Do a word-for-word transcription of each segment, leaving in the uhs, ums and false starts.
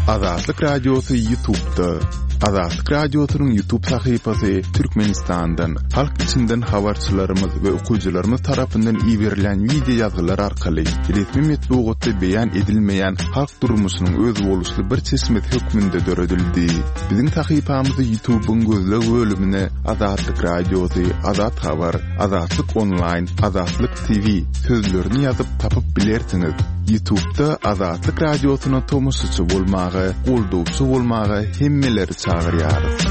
Azatlyk Radiosy YouTube'da. Azatlyk Radiosynyň YouTube sahypasy Türkmenistandan, halk içinden habarçylarymyz we okyjylarymyz tarapyndan iberilen wideo ýazgylar arkaly resmi metbugatda beýan edilmeýän halk durmuşynyň özboluşly bir çeşmesi hökmünde döredildi. Biziň sahypamyzy YouTube'yň gözleg bölümine Azatlyk Radiosy, Azat Habar, Azatlyk Online, Azatlyk T V sözlerini ýazyp tapyp bilersiňiz. YouTube'da Azatlyk Radiosyna tomaşaçy bolmaga, goldawçy bolmaga hemmeleri çagyrýarys.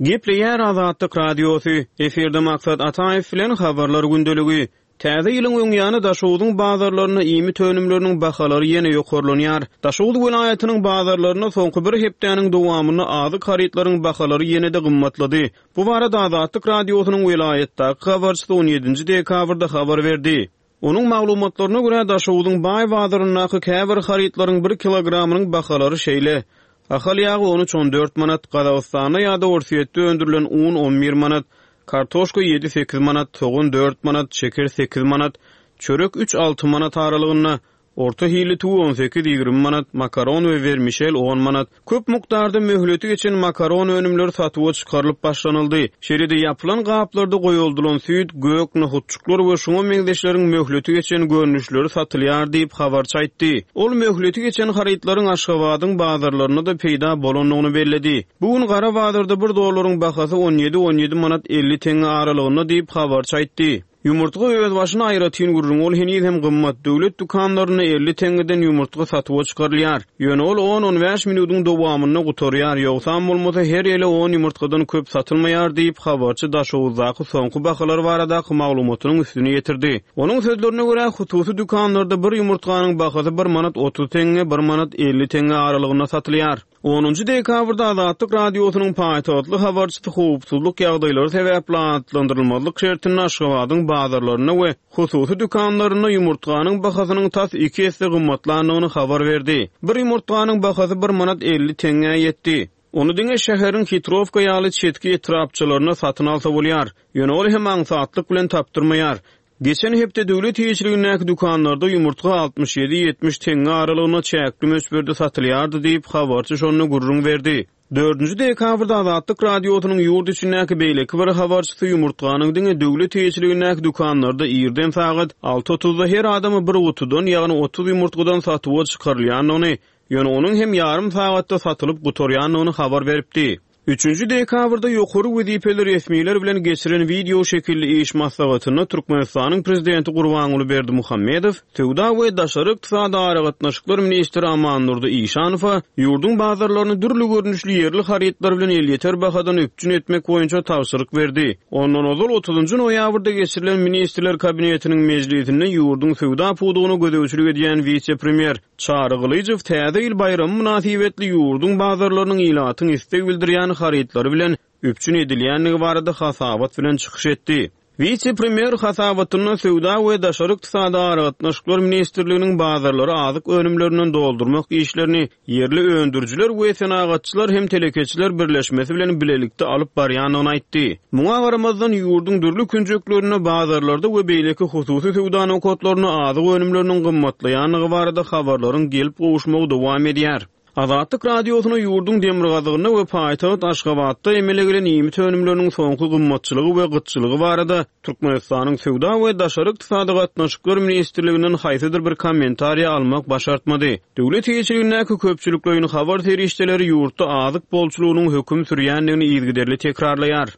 Gepleýär Azatlyk Radiosy. Efirde Maksat Ataýew bilen habarlar gündeligi. Täze ýylyň öňýany Daşogzuň bazarlarynda iýmit önümleriniň bahalary ýene ýokarlanýar. Daşoguz welaýatynyň bazarlarynda soňky bir hepdäniň dowamynda azyk harytlaryň bahalary ýene-de gymmatlady. Bu barada Azatlyk Radiosynyň welaýatdaky habarçysy on ýedinji dekabrda habar berdi. Onuň maglumatlaryna görä, Daşogzuň baý bazaryndaky käbir harytlaryň bir kilogramynyň bahalary şeýle: Ahal ýagy on üç on dört manat, Gazagystanda ýa-da Orsýetde öndürilen un on bir manat, kartoşka ýedi sekiz manat, sogan dört manat, şeker sekiz manat, çörek üç alty manat aralygynda, orta hilli tüwi on sekiz ýigrimi manat, makaron we wermişel on manat. Köp mukdarda möhleti geçen makaron önümleri satuwa çykarylyp başlanyldy. Şeýle-de ýapylan gaplarda goýuldylan süýt, gök, nohutçuklar we şuňa meňzeşleriň möhleti geçen görnüşleri satylýar diýip habarçy aýtdy. Ol möhleti geçen harytlaryň Aşgabadyň bazarlarynda da peýda bolandygyny belledi. Bu gün gara bazarda bir dollaryň bahasy on ýedi on ýedi manat elli teňňe aralygynda diýip habarçy aýtdy. Ýumurtga öz başyna aýratyn gürrüň, ol heniz hem gymmat. Döwlet dükanlarynda elli teňňeden ýumurtga satuwa çykarylýar. Ýöne ol on on bäş minutyň dowamynda gutarýar, ýogsam bolmasa her ele on ýumurtgadan köp satylmaýar diýip habarçy Daşoguzdaky soňky bahalar baradaky maglumatynyň üstüni ýetirdi. Onuň sözlerine görä, hususy dükanlarda bir ýumurtganyň bahasy bir manat otuz teňňe, bir manat elli teňňe aralygynda satylýar. Onunjy dekabrda Azatlyk Radiosynyň paýtagtly habarçysy howpsuzlyk ýagdaýlary sebäpli atlandyrylmazlyk şertinde Aşgabadyň bazarlarynda we hususy dükanlarynda ýumurtganyň bahasynyň tas iki esse gymmatlandygyny habar berdi. Bir ýumurtganyň bahasy bir manat elli teňňä ýetdi. Ony diňe şäheriň Hitrowka ýaly çetki etrapçalarynda satyn alsa bolýar. Ýöne ol hem aňsatlyk bilen tapdyrmaýar. Geçen hepde döwlet eýeçiligindäki dükanlarda ýumurtga altmyş ýedi ýetmiş teňňe aralygynda çäkli möçberde satylýardy diýip habarçy şonda gürrüň berdi. Dördünji dekabrda Azatlyk Radiosynyň ýurt içindäki beýleki bir habarçysy ýumurtganyň diňe döwlet eýeçiligindäki dükanlarda irden sagat alty otuzda her adama bir gutudan, ýagny otuz ýumurtgadan satuwa çykarylýandygyny, ýöne onuň hem ýarym sagatda satylyp gutarýandygyny habar beripdi. Üçünji dekabrda ýokary wezipeli resmiler bilen geçiren wideo şekilli iş maslahatynda Türkmenistanyň prezidenti Gurbanguly Berdimuhamedow, Söwda we daşary ykdysady aragatnaşyklar ministri Amandurdy Işanowa ýurduň bazarlaryny dürli görnüşli ýerli harytlar bilen elýeter bahadan üpjün etmek boýunça tabşyryk berdi. Ondan ozal otuzynjy noýabrda geçirilen Ministrler Kabinetiniň mejlisinde ýurduň söwda pudagyna gözegçilik edýän wise-premýer Çary Gylyjow täze ýyl baýramy mynasybetli ýurduň bazarlarynyň ilatyň isleg bildirýän harytlary bilen üpjün edilýändigi barada hasabat bilen çykyş etdi. Wise-premýer hasabatynda Söwda we daşary ykdysady aragatnaşyklar ministrliginiň bazarlary azyk önümlerinden doldurmak işlerini ýerli öndürijiler we senagatçylar hem telekeçiler birleşmesi bilen bilelikde alyp barýandygyny aýtdy. Muňa garamazdan ýurduň dürli künjeklerinde bazarlarda we beýleki hususy söwda nokatlarynda azyk önümleriniň gymmatlaýandygy barada habarlaryň gelip gowuşmagy dowam edýär. Azatlyk Radiosyna ýurduň demirgazygynda we paýtagt Aşgabatda emele gelen iýmit önümleriniň soňky gymmatçylygy we gytçylygy barada Türkmenistanyň Söwda we daşary ykdysady gatnaşyklar ministrliginden haýsydyr bir kommentariýa almak başartmady. Döwlet eýeçiligindäki köpçülikleýin habar serişdeleri ýurtda azyk bolçulygynyň höküm sürýändigini yzygiderli tekrarlaýar.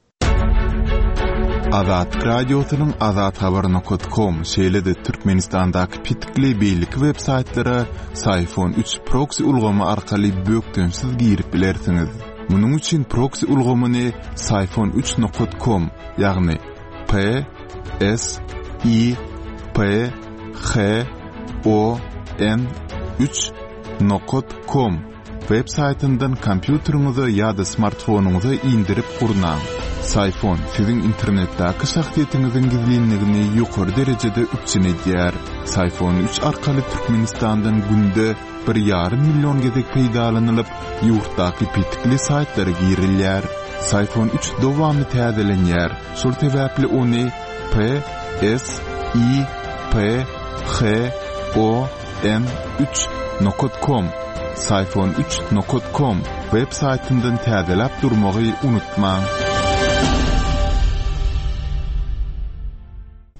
Azatlyk Radiosynyň azathabar nokta com, şeýle-de Türkmenistandaky petikli beýleki web saýtlara Syfon üç proxy ulgamy arkaly bökdençsiz girip bilersiňiz. Munuň üçin proxy ulgamyny Syfon üç nokta com, ýagny P S I P H O N üç nokta com web saýtyndan kompýuteriňize ýa-da smartfonyňyza indirip gurnaň. Syfon siziň internetdäki şahsyýetiňiziň gizlinligini ýokary derejede üpjün edýär. Syfon üç arkaly Türkmenistandan günde bir ýarym million gezek peýdalanylyp, ýurtdaky petikli saýtlara girilýär. Syfon üç dowamly täzelenýär. Şol sebäpli ony P S I P H O N üç nokat kom, Syfon üç nokat kom web saýtyndan täzeläp durmagy unutmaň.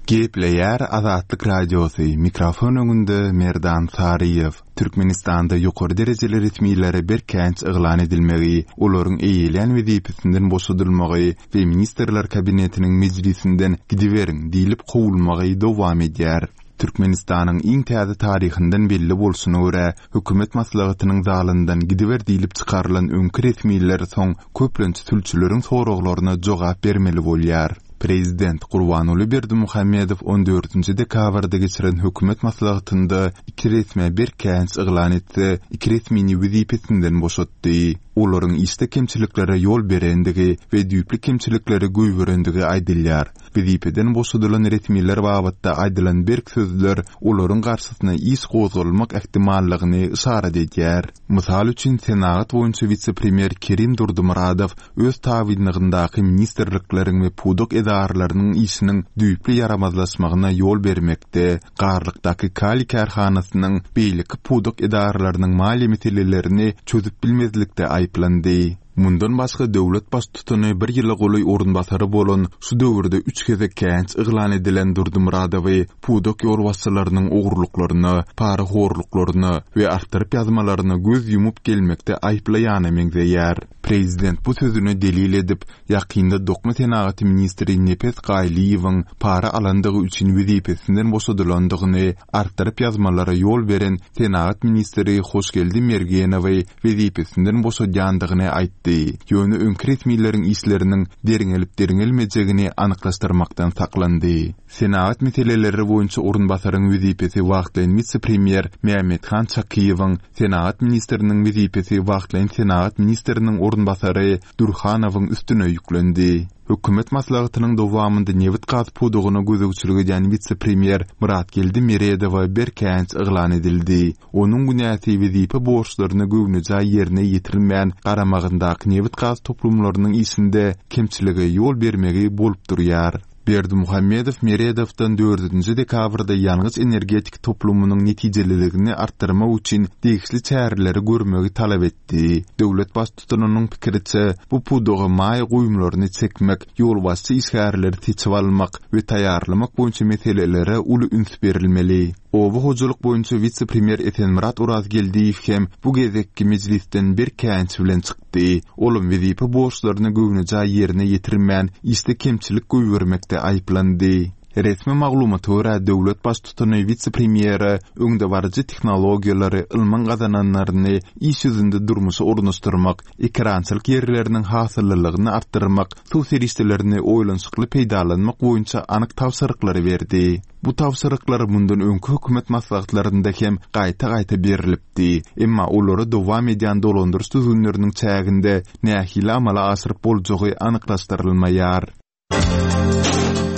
Gepleýär Azatlyk Radiosy, mikrofon öňünde Merdan Saryýew. Türkmenistanda ýokary derejeli resmilere berk käýinç yglan edilmegi, olaryň eýeleýän wezipesinden boşadylmagy we Ministrler Kabinetiniň mejlisinden gidiberiň diýlip kowulmagy dowam edýär. Türkmenistanyň iň täze taryhyndan belli bolşuna görä, hökümet maslahatynyň zalyndan gidiber diýlip çykarylan öňki resmiler soň köplenç sülçüleriň soraglaryna jogap bermeli bolýar. Prezident Gurbanguly Berdimuhamedow on dördünji dekabrda geçiren hökümet maslahatynda iki resmä berk käýinç yglan etse, iki resmini wezipesinden boşatdy. Olaryň işde kemçiliklere ýol berendigi we düýpli kemçilikleri goýberendigi aýdylýar. Wezipeden boşadylan resmiler babatda aýdylan berk sözler olaryň garşysyna iş gozgalmak ähtimallygyny yşarat edýär. Mysal üçin, senagat boýunça wise-premýer Kerim Durdymyradow öz tabynlygyndaky ministrlikleriň we pudak edaralarynyň işiniň düýpli ýaramazlaşmagyna ýol bermekde, Garlykdaky kaliý kärhanasynyň beýleki pudak edaralarynyň maliýe meselelerini çözüp bilmezlikde aýyplandy. Mundan başga döwlet baştutany bir ýyla golaý orunbasary bolan şu döwürde üç gezek käýinç yglan edilen Durdymyradowy pudak ýolbaşçylarynyň ogurlyklaryna, parahorluklaryna we artdyryp ýazmalaryna göz ýumup gelmekde aýyplaýana meňzeýär. Prezident bu sözüne delil edip, ýakynda dokma senagaty ministri Nepes Gaýlyýewiň para alandygy üçin wezipesinden boşadylandygyny, artdyryp ýazmalara ýol beren senagat ministri Hoşgeldi Mergenowy wezipesinden boşadýandygyny aýtdy. Ýöne öňki resmileriň işleriniň derňelip-derňelmejegini anyklaşdyrmakdan saklandy. Senagat meseleleri boýunça orunbasaryň wezipesi wagtlaýyn wise-premýer Mämmethan Çakyýewiň, senagat ministriniň wezipesi wagtlaýyn senagat ministriniň orunbasary Dürhanowyň üstüne ýüklendi. Hökümet maslahatynyň dowamynda nebit-gaz pudagyna gözegçilik edýän wise-premýer Myratgeldi Meredowa berk käýinç yglan edildi. Onuň günäsi wezipe borçlaryny göwnejaý ýerine ýetirmän, garamagyndaky nebit-gaz toplumlarynyň işinde kemçilige ýol bermegi bolup durýar. Berdimuhamedow Meredowdan dördünji dekabrda ýangyç-energetik toplumynyň netijeliligini artdyrmak üçin degişli çäreleri görmegi talap etdi. Döwlet baştutanynyň pikiriçe, bu pudaga maýa goýumlaryny çekmek, ýolbaşçy işgärleri seçip almak we taýýarlamak boýunça meselelere uly üns berilmeli. Oba hojalyk boýunça wise-premýer Esenmyrat Orazgeldiýew hem bu gezekki mejlisden berk käýinç bilen çykdy. Olam wezipe borçlaryny göwnejaý ýerine ýetirmän, işde kemçilik goýbermekde aýyplandy. Resmi maglumata görä, döwlet baştutany wise-premýere öňdebaryjy tehnologiýalary, ylmyň gazananlaryny iş ýüzünde durmuşa ornaşdyrmak, ekerançylyk ýerleriniň hasyllylygyny artdyrmak, suw serişdelerini oýlanyşykly peýdalanmak boýunça anyk tabşyryklary berdi. Bu tabşyryklar mundan öňki hökümet maslahatlarynda hem gaýta-gaýta berilipdi. Emma olary dowam edýän dolandyryş düzgünleriniň çäginde nähili amala aşyryp boljagy anyklaşdyrylmaýar.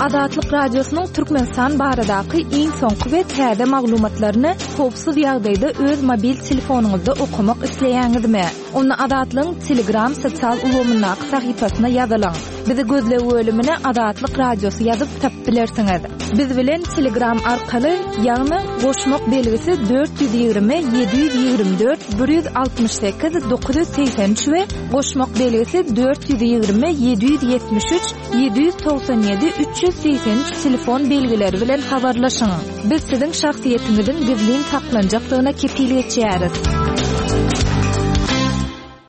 Azatlyk Radiosynyň Türkmenistan baradaky iň soňky we täze maglumatlaryny howpsuz ýagdaýda öz mobil telefonyňyzda okamak isleýäňizmi? Onda Azatlygyň Telegram sosial ulgamyndaky sahypasyna ýazylyň. Bizi gözleg bölümine Azatlyk Radiosy ýazyp tapyp bilersiňiz. Biz bilen Telegram arkaly, ýagny goşmak belgisi dört ýüz ýigrimi ýedi ýüz ýigrimi dört bir ýüz altmyş sekiz dokuz ýüz segsen üç we goşmak belgisi dört ýüz ýigrimi ýedi ýüz ýetmiş üç ýedi ýüz togsan ýedi üç ýüz segsen üç telefon belgileri bilen habarlaşyň. Biz siziň şahsyýetiňiziň gizlin saklanjakdygyna kepil geçýäris.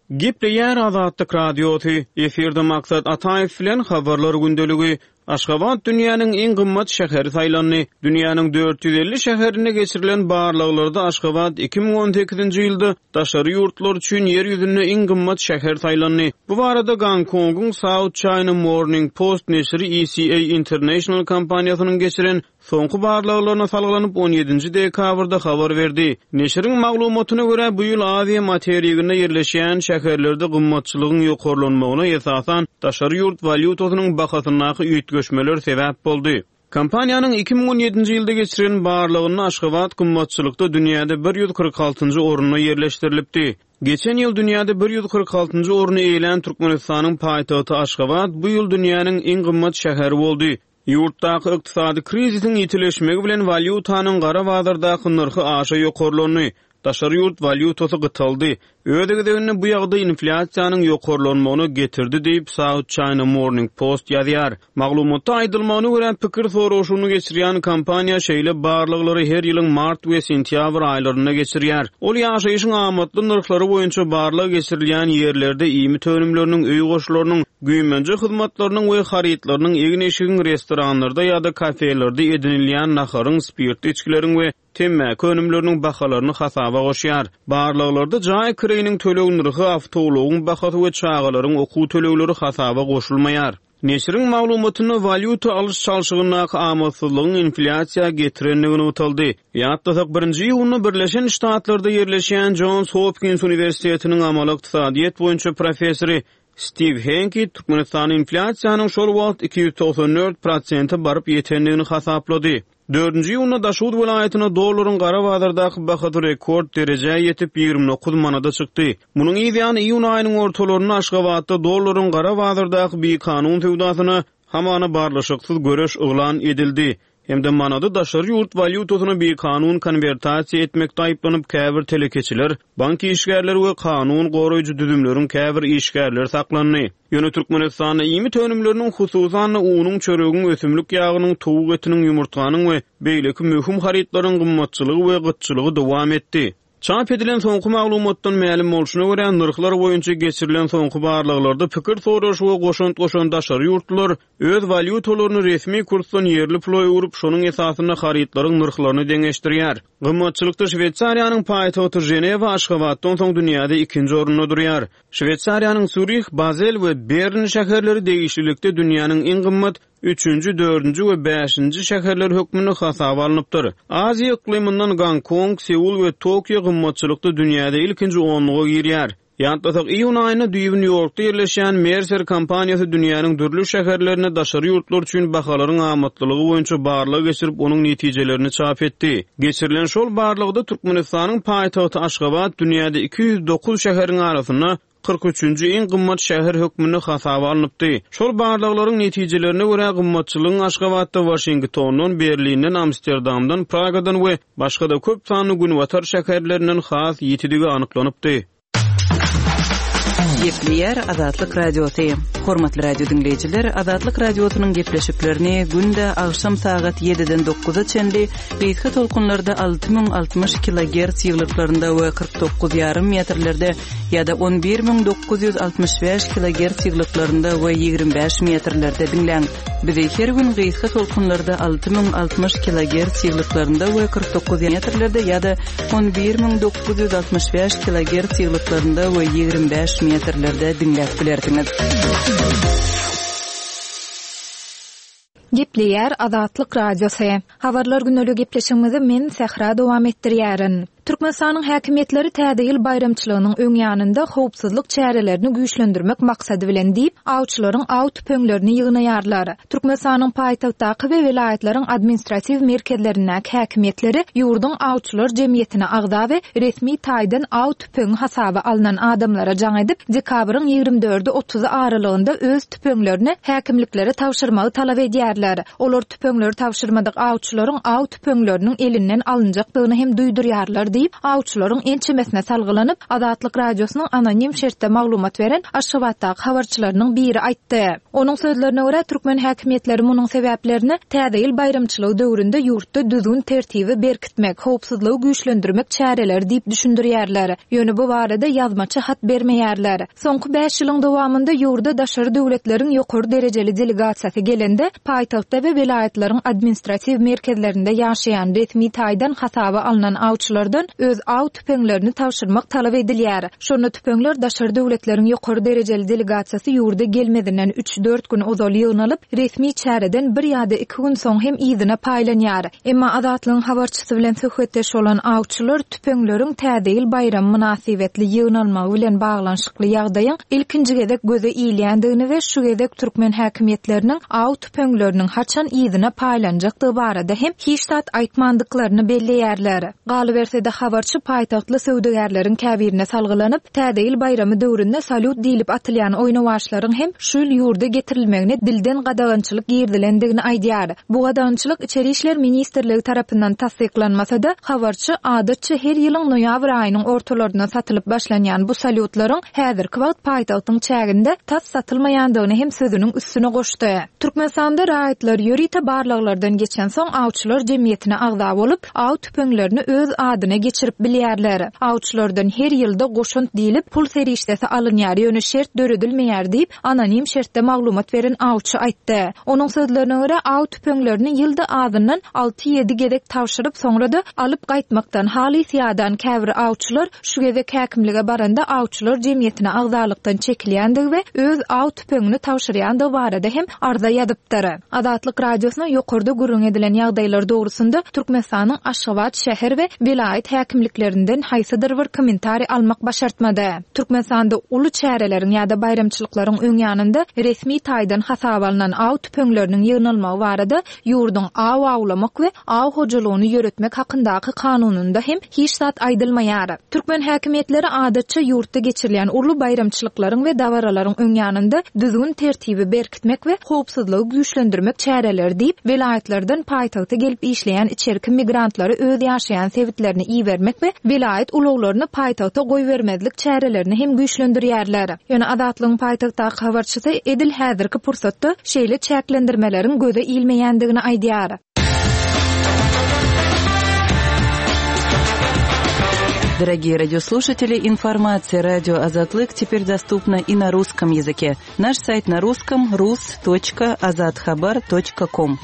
Gepleýär Azatlyk Radiosy, efirde Maksat Ataýew bilen habarlar gündeligi. Aşgabat dünýäniň iň gymmat şäheri saýlandy. Dünýäniň dört ýüz elli şäherinde geçirilen barlaglarda Aşgabat iki müň on sekizinji ýylda daşary ýurtlar üçin ýer ýüzünde iň gymmat şäher saýlandy. Bu barada Gongkongyň South China Morning Post neşiri E C A International kompaniýasynyň geçiren soňky barlaglaryna salgylanyp on ýedinji dekabrda habar berdi. Neşiriň maglumatyna görä, bu ýyl Aziýa materiginde ýerleşýän şäherlerde gymmatçylygyň ýokarlanmagyna esasan daşary ýurt walýutasynyň bahasyndaky üýtgeşmeler sebäp boldy. Kompaniýanyň iki müň on ýedinji ýylda geçiren barlagynda Aşgabat gymmatçylykda dünýäde bir ýüz kyrk altynjy orunda ýerleşdirilipdi. Geçen ýyl dünýäde bir ýüz kyrk altynjy orny eýelän Türkmenistanyň paýtagty Aşgabat bu ýyl dünýäniň iň gymmat şäheri boldy. Ýurtdaky ykdysady krizisiň ýitileşmegi bilen walýutanyň gara bazardaky nyrhy aşa ýokarlandy, daşary ýurt walýutasy gytaldy. Öz gezeginde bu ýagdaý inflýasiýanyň ýokarlanmagyna getirdi diýip, South China Morning Post ýazýar. Maglumatda aýdylmagyna görä, pikir soraşygyny geçirýän kompaniýa şeýle barlaglary her ýylyň mart we sentýabr aýlarynda geçirýär. Ol ýaşaýşyň amatly nyrhlary boýunça barlag geçirilýän ýerlerde iýmit önümleriniň, öý goşlarynyň, güýmenje hyzmatlarynyň we harytlarynyň, egin-eşigiň, restoranlarda ýa-da kafelerde edinilýän naharyň, spirtli içgileriň we temmäki önümleriniň bahalaryny hasaba goşýar. Barlaglarda jaý kireýiniň töleg nyrhy, awtoulagyň bahasy we çagalaryň okuw tölegleri hasaba goşulmaýar. Neşiriň maglumatynda walýuta alyş-çalşygyndaky amatsyzlygyň inflýasiýa getirenligi nygtaldy. Ýatlasak, birinji iýunda Birleşen Ştatlarda ýerleşýän Jons Hopkins uniwersitetiniň amaly ykdysadyýet boýunça professory Stiw Henki Türkmenistanda inflýasiýanyň şol wagt iki ýüz togsan dört prosente baryp ýetendigini hasaplady. Dördünji iýunda Daşoguz welaýatynda dollaryň gara bazardaky bahasy rekord derejä ýetip, ýigrimi dokuz manada çykdy. Munuň yz ýany iýun aýynyň ortalarynda Aşgabatda dollaryň gara bazardaky bikanun söwdasyna hamana barlyşyksyz göreş yglan edildi hem-de manady daşary ýurt walýutasyna bikanun konwertasiýa etmekde aýyplanyp käbir telekeçiler, bank işgärleri we kanun goraýjy düzümleriň käbir işgärleri saklandy. Ýöne Türkmenistanda iýmit önümleriniň, hususan-da unuň, çöregiň, ösümlik ýagynyň, towuk etiniň, ýumurtganyň we beýleki möhüm harytlaryň gymmatçylygy we gytçylygy dowam etdi. Çap edilen soňky maglumatdan mälim bolşuna görä, nyrhlar boýunça geçirilen soňky barlaglarda pikir soraşyga goşant goşan daşary ýurtlular öz walýutalaryny resmi kursdan ýerli pula öwrüp, şonuň esasynda harytlaryň nyrhlaryny deňeşdirýär. Gymmatçylykda Şweýsariýanyň paýtagty Ženewa Aşgabatdan soň dünýäde ikinji orunda durýar. Şweýsariýanyň Sýurih, Bazel we Bern şäherleri degişlilikde dünýäniň iň gymmat üçünji, dördünji we bäşinji şäherleri hökmünde hasaba alnypdyr. Aziýa yklymyndan Gonkong, Seul we Tokio gymmatçylykda dünýäde ilkinji onluga girýär. Ýatlasak, iýun aýynda düýbi Nýu-Ýorkda ýerleşýän Mercer kompaniýasy dünýäniň dürli şäherlerinde daşary ýurtlar üçin bahalaryň amatlylygy boýunça barlag geçirip, onuň netijelerini çap etdi. Geçirilen şol barlagda Türkmenistanyň paýtagty Aşgabat dünýäde iki ýüz dokuz şäheriň arasynda kyrk üçünji iň gymmat şäher hökmünde hasaba alnypdy. Şol barlaglaryň netijelerine görä gymmatçylygyň Aşgabatda Waşingtondan, Berlinden, Amsterdamdan, Pragadan we başga-da köp sanly günbatar şäherlerinden has ýitidigi anyklanypdy. Gepleýär Azatlyk Radiosy. Hormatly radio diňleýjiler, Azatlyk Radiosynyň gepleşiklerini günde agşam sagat ýediden dokuza çenli gysga tolkunlarda alty müň altmyş kilogertz ýyglyklarynda we kyrk dokuz ýarym metrlerde ýa-da on bir müň dokuz ýüz altmyş bäş kilogertz ýyglyklarynda we ýigrimi bäş metrlerde diňläň. Bizi her gün gysga tolkunlarda alty müň altmyş kilogertz ýyglyklarynda we kyrk dokuz metrlerde ýa-da on bir müň dokuz ýüz altmyş bäş kilogertz ýyglyklarynda we ýigrimi bäş metrlerde diňläp bilersiňiz. Gepleýär Azatlyk Radiosy. Habarlar güneli gepleşigimizi men Sähra dowam etdirýärin. Türkmenistanyň häkimiýetleri täze ýyl baýramçylygynyň öň ýanynda howpsuzlyk çärelerini güýçlendirmek maksady bilen diýip, awçylaryň aw tüpeňlerini ýygnaýarlar. Türkmenistanyň paýtagtdaky we welaýatlaryň administratiw merkezlerindäki häkimiýetleri ýurduň awçylar jemgyýetine agza we resmi taýdan aw tüpeňi hasaba alnan adamlara jaň edip, dekabryň ýigrimi dördü otuzy aralygynda öz tüpeňlerini häkimliklere tabşyrmagy talap edýärler. Olar tüpeňleri tabşyrmadyk awçylaryň aw tüpeňleriniň elinden alynjakdygyny hem duýdurýarlar diýip, awçylaryň ençemesine salgylanyp, Azatlyk Radiosynyň anonim şertde maglumat beren Aşgabatdaky habarçylarynyň biri aýtdy. Onuň sözlerine görä, türkmen häkimiýetleri munuň sebäplerini täze ýyl baýramçylygy döwründe ýurtda düzgün tertibi berkitmek, howpsuzlygy güýçlendirmek çäreleri diýip düşündirýärler. Ýöne bu barada ýazmaça hat bermeýärler. Soňky bäş ýylyň dowamynda ýurda daşary döwletleriň ýokary derejeli delegasiýasy gelende, paýtagtda we welaýatlaryň administratiw merkezlerinde ýaşaýan resmi taýdan hasaba alnan awçylardan öz aw tüpeňlerini tabşyrmak talap edilýär. Şonda tüpeňler daşary döwletleriň ýokary derejeli delegasiýasy ýurda gelmezinden üç-dört gün ozal ýygnalyp, resmi çäreden bir ýa-da iki gün soň hem yzyna paýlanýar. Emma Azatlygyň habarçysy bilen söhbetdeş bolan awçylar tüpeňleriň täze ýyl baýramy mynasybetli ýygnalmagy bilen baglanyşykly ýagdaýyň ilkinji gezek göze ilýändigini we şu gezek türkmen häkimiýetleriniň aw tüpeňleriniň haçan yzyna paýlanjakdygy barada hem hiç zat aýtmandyklaryny belleýärler. Galyberse-de habarçy paýtagtly söwdagärleriň käbirine salgylanyp, Täze ýyl baýramy döwründe salýut diýlip atylýan oýnawaçlaryň hem şu ýyl ýurda getirilmegine dilden gadagançylyk girizilendigini aýdýar. Bu gadagançylyk Içeri işler ministrligi tarapyndan tassyklanmasa-da, habarçy adatça her ýylyň noýabr aýynyň ortalarynda satylyp başlanýan bu salýutlaryň häzirki wagt paýtagtyň çäginde tas satylmaýandygyny hem sözüniň üstüne goşdy. Türkmenistanda raýatlar ýörite barlaglardan geçensoň awçylar jemgyýetine agza bolup, aw tüpeňlerini öz adyna geçirip bilýärler. Awçylardan her ýylda goşant diýlip pul serişdesi alynýar, ýöne şert döredilmeýär diýip, anonim şertde maglumat beren awçy aýtdy. Onuň sözlerine görä, aw tüpeňlerini ýylda azyndan alty-ýedi gezek tabşyryp, soňra-da alyp gaýtmakdan halys ýadan käbir awçylar şu gezek häkimlige baranda awçylar jemgyýetine agzalykdan çekilýändigi we öz aw tüpeňini tabşyrýandygy barada hem arza ýazypdyr. Azatlyk Radiosyna ýokarda gürrüň edilen ýagdaýlar dogrusynda Türkmenistanyň Aşgabat şäher we welaýat häkimliklerinden haýsydyr bir kommentariý almak başartmady. Türkmenistanda uly çäreleriň ýa-da baýramçylyklaryň öň ýanynda resmi taýdan hasaba alnan aw tüpeňleriniň ýygnalmagy barada ýurduň aw awlamak we aw hojalygyny ýöretmek hakyndaky kanunynda hem hiç zat aýdylmaýar. Türkmen häkimiýetleri adatça ýurtda geçirilýän uly baýramçylyklaryň we dabaralaryň öň ýanynda düzgün-tertibi berkitmek we howpsuzlygy güýçlendirmek çäreleri diýip, welaýatlardan paýtagta gelip işleýän içerki migrantlary öz ýaşaýan sebitlerine ibermek we welaýat ulaglaryny paýtagta goýbermezlik çärelerini hem güýçlendirýärler. Ýöne Azatlygyň paýtagtdaky habarçysy edil häzirki pursatda şeýle çäklendirmeleriň göze ilmeýändigini aýdýar. Дорогие радиослушатели, информация радио Азатлык теперь доступна и на русском языке. Наш сайт на русском rus.azathabar.com.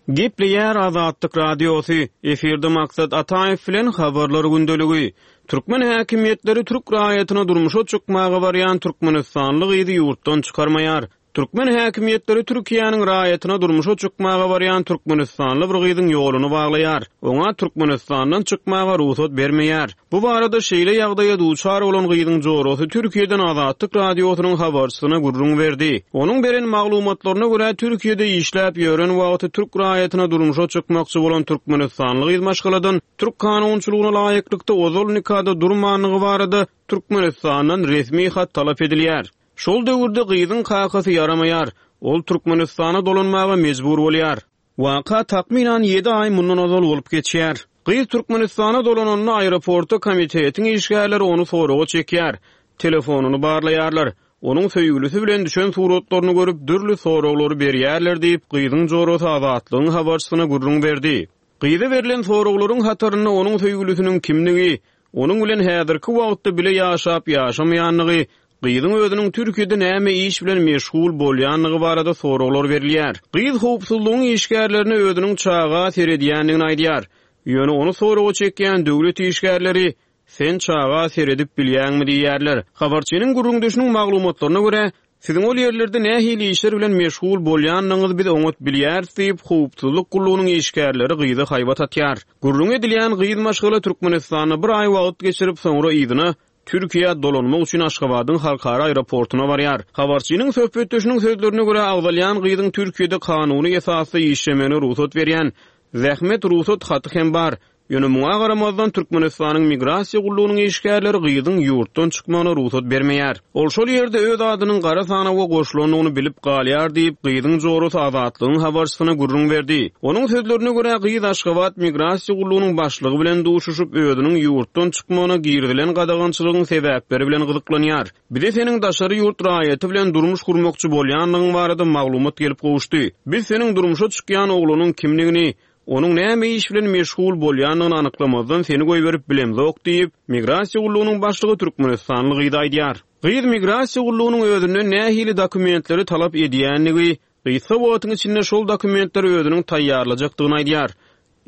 Gepleýär Azatlyk Radiosy, efirde Maksat Ataýew bilen habarlar gündeligi. Türkmen häkimiýetleri türk raýatyna durmuşa çykmaga barýan Türkmenistanly gyzy ýurtdan çykarmaýar. Türkmen häkimiýetleri Türkiýäniň raýatyna durmuşa çykmaga barýan Türkmenistanly bir gyzyň ýoluny baglaýar. Oňa Türkmenistandan çykmaga rugsat bermeýär. Bu barada şeýle ýagdaýa duçar bolan gyzyň jorasy Türkiýeden Azatlyk Radiosynyň habarçysyna gürrüň berdi. Onuň beren maglumatlaryna görä Türkiýede işläp ýören wagty türk raýatyna durmuşa çykmakçy bolan Türkmenistanly gyz maşgaladan türk kanunçylygyna laýyklykda ozal nikada durmanlygy barada Türkmenistandan resmi hat talap edilýär. Şol döwürde gyzyň kakasy ýaramaýar. Ol Türkmenistana dolanmaga mejbur bolýar. Waka takmynan ýedi aý mundan ozal bolup geçýär. Gyz Türkmenistana dolananda aeroportda komitetiň işgärleri ony soraga çekýär. Telefonyny barlaýarlar. Onuň söýgülisi bilen düşen suratlaryny görüp dürli soraglary berýärler diýip, gyzyň jorasy Azatlygyň habarçysyna gürrüň berdi. Gyza berlen soraglaryň hatarynda onuň söýgülisiniň kimligi, onuň bilen häzirki wagtda bile ýaşap ýaşamaýanlygy, gyzyň özüniň Türkiýede näme iş bilen meşgul bolýanlygy barada soraglar berilýär. Gyz howpsuzlygyň işgärlerine özüniň çaga seredýändigini aýdýar. Ýöne ony soraga çekýän döwlet işgärleri sen çaga seredip bilýäňmi diýýärler. Habarçynyň gürrüňdeşiniň maglumatlaryna görä, siziň ol ýerlerde nähili işler bilen meşgul bolýandygyňyzy biz oňat bilýäris diýip, howpsuzlyk gullugynyň işgärleri gyza haýbat atýar. Gürrüň edilýän gyz maşgala Türkmenistanda bir aý wagt geçirip, soňra yzyna Türkiýä dolanmak üçin Aşgabadyň halkara aeroportuna barýar. Habarçynyň söhbetdeşiniň sözlerine görä agzalýan gyzyň Türkiýede kanuny esasda işlemegine rugsat berýän zähmet rugsat haty hem bar. Ýöne muňa garamazdan Türkmenistanyň migrasiýa gullugynyň işgärleri gyzyň ýurtdan çykmagyna rugsat bermeýär. Ol şol ýerde öz adynyň gara sanawa goşulandygyny bilip galýar diýip, gyzyň jorasy Azatlygyň habarçysyna gürrüň berdi. Onuň sözlerine görä gyz Aşgabat migrasiýa gullugynyň başlygy bilen duşuşyp, özüniň ýurtdan çykmagyna girizilen gadagançylygyň sebäpleri bilen gyzyklanýar. Bize seniň daşary ýurt raýaty bilen durmuş gurmakçy bolýanlygyň barada maglumat gelip gowuşdy. Biz seniň durmuşa çykýan oglanyň kimligini, onuň näme iş bilen meşgul bolýandygyny anyklamazdan seni goýberip bilemzok diýip, migrasiýa gullugynyň başlygy Türkmenistanly gyz aýdýar. Gyz migrasiýa gullugynyň özünden nähili dokumentleri talap edýändigi, gysga wagtyň içinde şol dokumentleri özüniň taýýarlajakdygyny aýdýar.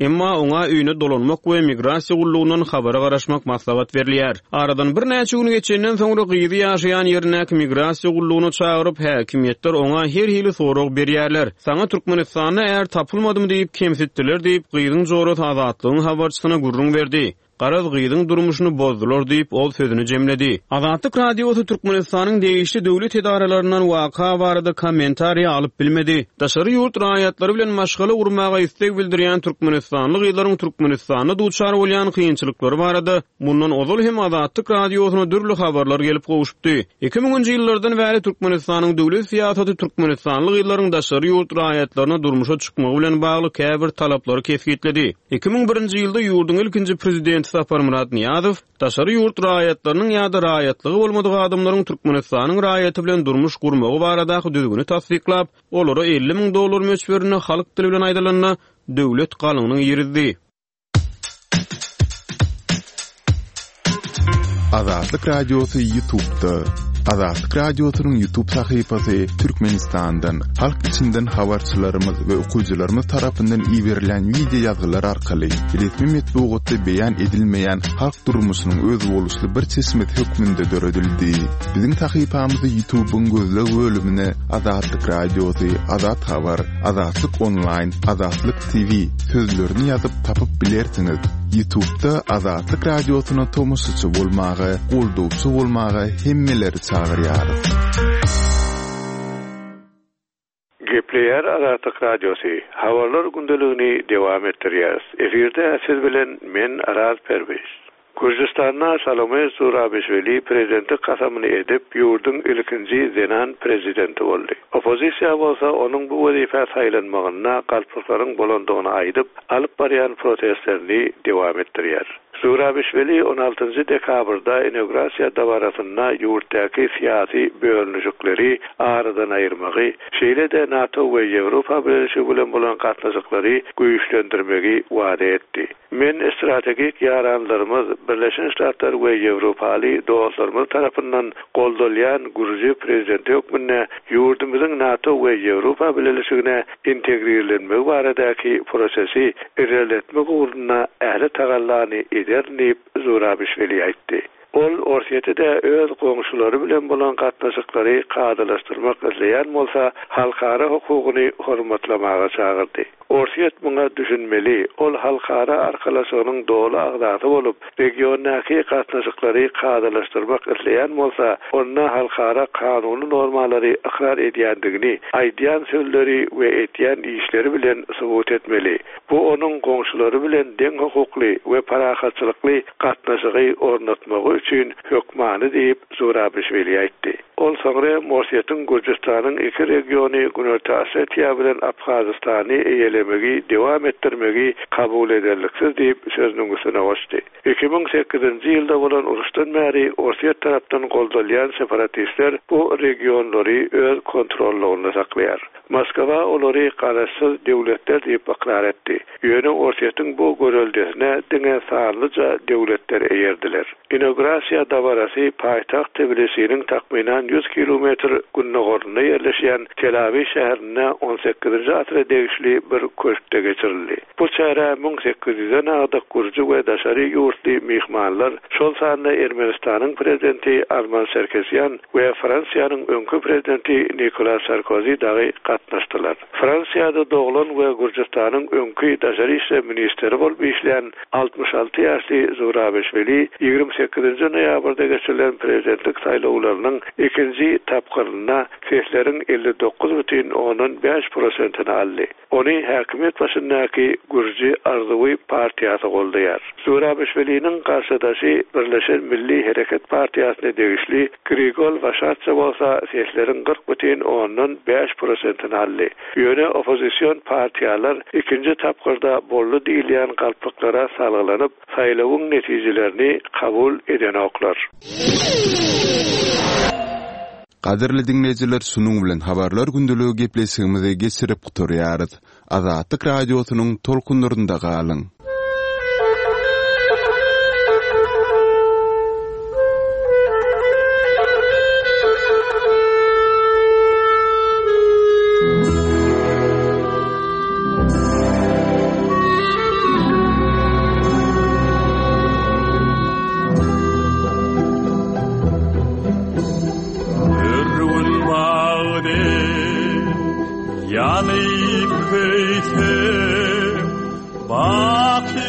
Emma oňa öýüne dolanmak we migrasiýa gullugyndan habara garaşmak maslahat berilýär. Aradan birnäçe gün geçenden soňra gyzy ýaşaýan ýerindäki migrasiýa gullugyna çagyryp, häkimiýetler oňa her hili sorag berýärler. Saňa Türkmenistanda är tapylmadymy diýip kemsitdiler diýip, gyzyň jorasy Azatlygyň habarçysyna gürrüň berdi. Garaz gyzyň durmuşyny bozdular diýip, ol sözüni jemledi. Azatlyk Radiosy Türkmenistanyň degişli döwlet edaralaryndan waka barada kommentariýa alyp bilmedi. Daşary ýurt raýatlary bilen maşgala gurmaga isleg bildirýän türkmenistanly gyzlaryň Türkmenistanda duçar bolýan kynçylyklary barada mundan ozal hem Azatlyk Radiosyna dürli habarlar gelip gowuşdy. iki müňünji ýyllardan bäri Türkmenistanyň döwlet syýasaty türkmenistanly gyzlaryň daşary ýurt raýatlaryna durmuşa çykmagy bilen bagly käbir talaplary kesgitledi. iki müň birinji ýylda ýurduň ilkinji prezidenti Saparmyrat Nyýazow daşary ýurt raýatlarynyň ýa-da raýatlygy bolmadyk adamlaryň Türkmenistanyň raýaty bilen durmuş gurmagy baradaky düzgüni tassyklap, olara elli müň dollar möçberinde halk dili bilen aýdylanda döwlet galyňyny girizdi. Azatlyk Radiosy YouTube'da. Azatlyk Radiosynyň YouTube sahypasy Türkmenistandan, halk içinden habarçylarymyz we okyjylarymyz tarapyndan iberilen video ýazgylar arkaly resmi metbugatda beýan edilmeýän halk durmuşynyň özboluşly bir çeşmesi hökmünde döredildi. Biziň sahypamyzy YouTube'yň gözleg bölümine Azatlyk Radiosy, Azat Habar, Azatlyk Online, Azatlyk T V sözlerini ýazyp tapyp bilersiňiz. YouTube'da Azatlyk Radiosyna tomaşaçy bolmaga, goldawçy bolmaga hemmeleri çagyrýarys. Gepleýär Azatlyk Radiosy. Habarlar gündeligini dowam etdirýäris. Efirde siz bilen men Araz Perwiz. Gürjistanda Salome Zurabişvili prezidentlik kasamyny edip, ýurduň ilkinji zenan prezidenti boldy. Oppozisiýa bolsa onuň bu wezipe saýlanmagynda galplyklaryň bolandygyny aýdyp, alyp barýan protestlerini dowam etdirýär. Zurabişvili on altynjy dekabrda inaugurasiýa dabarasynda ýurtdaky syýasy bölünişikleri aradan aýyrmagy, şeýle-de NATO we Ýewropa Birleşigi bilen bolan gatnaşyklary güýçlendirmegi wada etdi. Men strategik ýaranlarymyz Birleşen Ştatlar we Ýewropaly dostlarymyz tarapyndan goldalýan Gürji prezidenti hökmünde ýurdumyzyň NATO we Ýewropa Birleşigine integrirlenmegi baradaky prosesi ilerletmek ugrunda ähli tagallany eder diýip Zurabişvili aýtdy. Ol Orsýeti-de öz goňşulary bilen bolan gatnaşyklary kadalaşdyrmak isleýän bolsa, halkara hukugyny hormatlamaga çagyrdy. Orsýet muňa düşünmeli, ol halkara arkalaşygynyň doly agzasy bolup, regiondaky gatnaşyklary kadalaşdyrmak isleýän bolsa, onda halkara kanuny normalary ykrar edýändigini, aýdýan sözleri we etýän işleri bilen subut etmeli. Bu onuň goňşulary bilen deň hukukly we parahatçylykly gatnaşygy ornatmagy üçin hökmany diýip Zurabişvili aýtdy. Ol soňra Orsýetiň Gürjistanyň iki regiony Günorta Osetiýa bilen Abhazistany eýelemegi dowam etdirmegi kabul ederliksiz diýip sözüniň üstüne goşdy. iki müň sekizinji ýylda bolan uruşdan bäri Orsýet tarapdan goldalýan separatistler bu regionlary öz kontrollygynda saklaýar. Moskwa olary garaşsyz döwletler diýip ykrar etdi. Ýöne Orsýetiň bu göreldesine diňe sanlyja döwletler eýerdiler. Inaugurasiýa dabarasy paýtagt Tbilisiniň takmynan ýüz kilometr gündogarynda ýerleşýän Telawi şäherinde on sekizinji asyra degişli bir köşkde geçirildi. Bu çäre müň sekiz ýüzden agdyk gürji we daşary ýurtly myhmanlar, şol sanda Ermenistanyň prezidenti Arman Sarkisyan we Fransiýanyň öňki prezidenti Nikolas Sarkozy dagy gatnaşdylar. Fransiýada doglan we Gürjistanyň öňki daşary işler ministri bolup işleýän altmyş alty ýaşly Zurabişvili ýigrimi sekizinji noýabrda geçirilen prezidentlik saýlawlarynyň ikinji tapgyrynda sesleriň elli dokuz bütin ondan bäş prosentini aldy. Ony häkimiýet başyndaky Gürji Arzuwy partiýasy goldaýar. Zurabişviliniň garşydaşy Birleşen Milli Hereket partiýasyna degişli Grigol Waşatça bolsa sesleriň kyrk bütin ondan bäş prosentini aldy. Ýöne oppozision partiýalar ikinji tapgyrda boldy diýilýän galplyklara salgylanyp, saýlawyň netijelerini kabul edenoklar. Gadyrly dinleýjiler, şunuň bilen habarlar gündeligi gepleşigimizi geçirip gutarýarys. Azatlyk Radiosynyň tolkunlarynda galyň. Yanıp köyse, baki